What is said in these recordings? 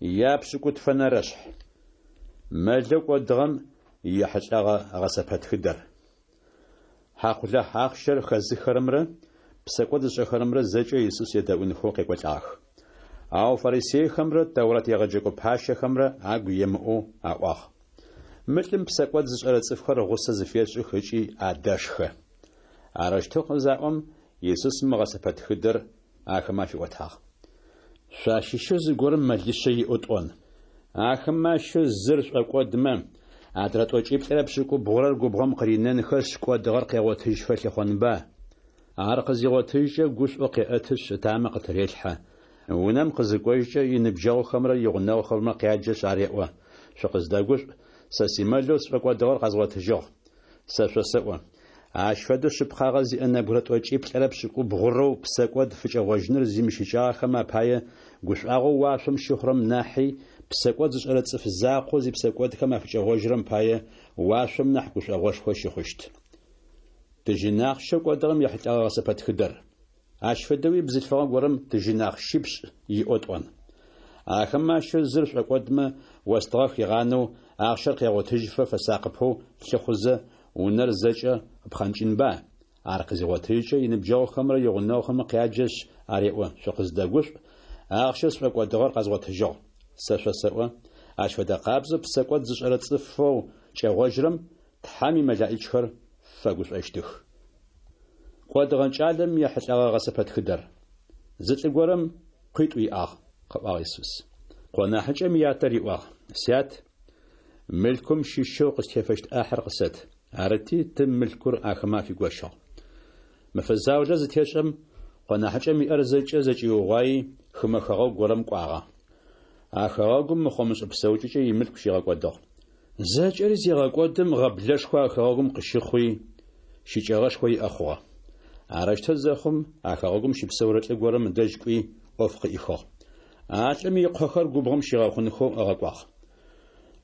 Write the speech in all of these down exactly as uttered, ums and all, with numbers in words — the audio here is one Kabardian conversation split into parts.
Япшӏыкӏутфэнэрэшъхь. Мэлэу кӏодыгъэм ехьылӏэгъэ гъэсэпэтхыдэр. Хьакъулахь ахъщэр хэзыхырэмрэ псэкӏод зышӏэхэрэмрэ зэкӏэ Исус едэӏунхэу къекӏолӏагъэх. Ау фарисейхэмрэ Тэурат егъэджэкӏо пащэхэмрэ агу емыӏоу аӏуагъ: Мы лӏым псэкӏод зышӏэрэ цӏыфхэр гъусэ зыфешӏых ыкӏи адэшхэ. Арэущтэу къызаӏом, Исус мы гъэсэпэтхыдэр ахэмэ афиӏотагъ. Шъуащыщэу зыгорэм мэлишъэ иӏэу тӏон. Ахэмэ ащыщэу зыр шӏокӏодмэ, адрэ тӏокӏиплӏырэ пшӏыкӏубгъурэр губгъом къыринэнхэшъ, кӏодыгъэр къегъотыжьфэ лъыхъонба? Ар къызигъотыжькӏэ гушӏоу къеӏэтышъ ытамэ къытырелъхьэ. Унэм къызыкӏожькӏэ иныбджэгъухэмрэ игъунэгъухэмрэ къяджэшъ ареӏо: «Шъукъыздэгушӏу, сэ симэлэу сшӏокӏодыгъэр къэзгъотыжьыгъ». Сэ шъосэӏо: ащ фэдэу шъыпкъагъэ зиӏэ нэбгырэ тӏокӏиплӏырэ пшӏыкӏубгъурэу псэкӏод фыкӏэгъожьыныр зимыщыкӏагъэхэм апае гушӏуагъоу уашъом щыхъурэм нахьи псэкӏод зышӏэрэ цӏыф закъоу зипсэкӏодхэм афыкӏэгъожьырэм пае уашъом нахь гушӏогъошхо щыхъущт. Тыжьын ахъщэу кӏодыгъэм ехьылӏэгъэ гъэсэпэтхыдэр. Ащ фэдэуи бзылъфыгъэ горэм тыжьын ахъщипшӏ иӏэу тӏон. Ахэмэ ащыщэу зыр шӏокӏодмэ, остыгъэ хигъанэу, ахъщэр къегъотыжьыфэ фэсакъыпэу лъыхъузэ, унэр зэкӏэ ыпхъэнкӏынба? Ар къызигъотыжькӏэ иныбджэгъухэмрэ игъунэгъухэмрэ къяджэшъ ареӏо: «Шъукъыздэгушӏу, ахъщэу сшӏокӏодыгъэр къэзгъотыжьыгъ». Сэ шъосэӏо, ащ фэдэ къабзэу псэкӏод зышӏэрэ цӏыфэу кӏэгъожьырэм Тхьэм имэлаӏичхэр фэгушӏощтых. Кӏодыгъэ кӏалэм ехьылӏэгъэ гъэсэпэтхыдэр. Зы лӏы горэм къуитӏу иӏагъ, къыӏуагъ Исус. Къо нахьыкӏэм ятэ риӏуагъ: «Сят, мылъкум щыщэу къыстефэщт ӏахьыр къысэт». Арыти, тым мылъкур ахэмэ афигощыгъ. Мэфэ заулэ зытешӏэм, къо нахьыкӏэм иӏэр зэкӏэ зэкӏиугъуаи, хымэ хэгъэгу горэм кӏуагъэ. А хэгъэгум мыхъо-мышӏэ псэукӏэкӏэ имылъку щигъэкӏодыгъ. Зэкӏэри зегъэкӏодым гъэблэшхо а хэгъэгум къыщыхъуи, щыкӏэгъэшхо иӏэ хъугъэ. Арэущтэу зэхъум, а хэгъэгум щыпсэурэ лӏы горэм ыдэжь кӏуи, ӏоф къыӏихыгъ. А лӏым икъохэр губгъом щигъэхъунхэу ыгъэкӏуагъ.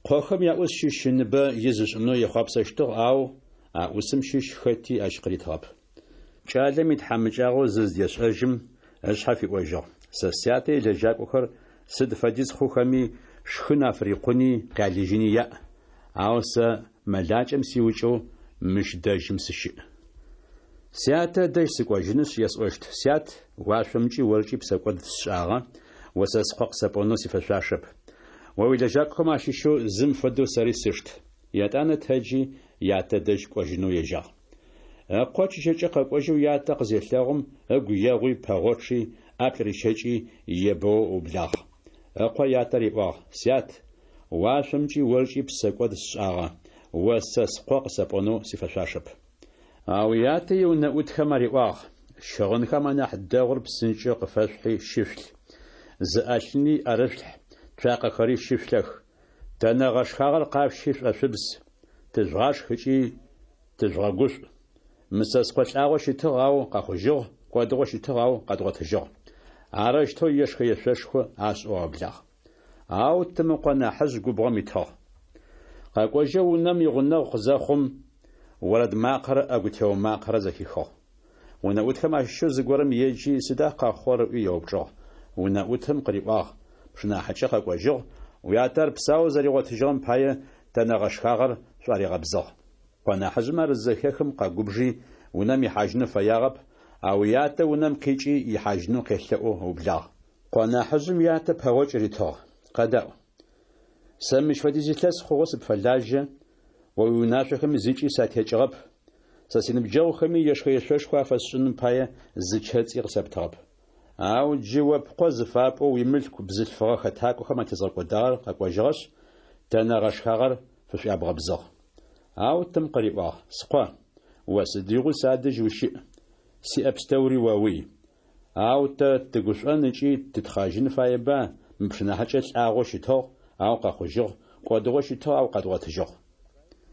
Къохэм яӏус щыщ ыныбэ из ышӏынэу ехъуапсэщтыгъ, ау а ӏусым щыщ хэти ащ къыритыгъэп. Кӏалэм итхьамыкӏагъо зыздешӏэжьым, ышъхьэ фиӏожьыгъ: «Сэ сятэ илэжьакӏохэр сыд фэдиз хъухэми, шхын афырикъуни къялыжьыни яӏ, ау сэ мэлакӏэм сиукӏэу мыщ дэжьым сыщыӏ. Сятэ ыдэжь сыкӏожьынышъ есӏощт: Сят, уашъомкӏи оркӏи псэкӏод сшӏагъэ, о сэ скъо къысэпӏонэу сифэшъуашэп. О уилэжьакӏохэм ащыщэу зым фэдэу сэри сышт». Етӏанэ тэджи, ятэ дэжь кӏожьынэу ежьагъ. Ыкъо чыжьэкӏэ къэкӏожьэу ятэ къызелъэгъум, ыгу егъуи пэгъочъи, ӏаплӏ рищэкӏи, ебэоу ыублагъ. Ыкъо ятэ риӏуагъ: «Сят, уашъомкӏи оркӏи псэкӏод сшӏагъэ, о сэ скъо къысэпӏонэу сифэшъуашэп». Ау ятэ иунэӏутхэм ариӏуагъ: «Щыгъынхэм анахь дэгъур псынкӏэу къыфэшъухьи щышъулъ, зы ӏэлъыни ӏэрышъулъхь, цуакъэхэри щышъулъэх. Тэнэ гъэшхагъэр къашъущи шӏошъубз, тыжъугъашх ыкӏи тыжъугъэгушӏу. Мы сэ скъо лӏагъэу щытыгъ, ау къэхъужьыгъ, кӏодыгъэу щытыгъ, ау къэдгъотыжьыгъ». Арэущтэу ешхэ-ешъошхо ашӏэу аублагъ. Ау тым ыкъо нахьыжъ губгъом итыгъ. Къэкӏожьэу унэм игъунэгъу къызэхъум, орэд макъэрэ ӏэгу тео макъэрэ зэхихыгъ. Унэӏутхэм ащыщэу зыгорэм еджи, сыда къэхъугъэр ыӏуи еупчӏыгъ. Унэӏутым къыриӏуагъ: «Пшынахьыкӏэ къэкӏожьыгъ, уятэ ар псаоу зэригъотыжьыгъэм пае тэнэ гъэшхагъэр шӏуаригъэбзыгъ». Къо нахьыжъым ар зызэхехым къэгубжи, унэм ихьажьынэу фэягъэп, ау ятэ унэм къикӏи ихьажьынэу къелъэӏоу ыублагъ. Къо нахьыжъым ятэ пэгъокӏ ритыгъ: «Къэдаӏу, сэ мыщ фэдиз илъэс хъугъэу сыпфэлажьэ, о уиунашъохэми зыкӏи сатекӏыгъэп, сэ синыбджэгъухэми ешхэ-ешъошхо афэсшӏыным пае зы чэцӏи къысэптыгъэп. Ау джы о пкъо зыфапӏоу уимылъку бзылъфыгъэ хэтакӏохэм атезгъэкӏодагъэр къэкӏожьыгъэшъ, тэнэ гъэшхагъэр фышӏуябгъэбзыгъ». Ау тым къыриӏуагъ: «Скъо, о сыдигъуи садэжь ущыӏ, сиӏэ пстэури оуй. Ау тэ тыгушӏон ыкӏи тытхъэжьын фаеба мы пшынахьыкӏэ лӏагъэу щытыгъ, ау къэхъужьыгъ, кӏодыгъэу щытыгъ, ау къэдгъотыжьыгъ».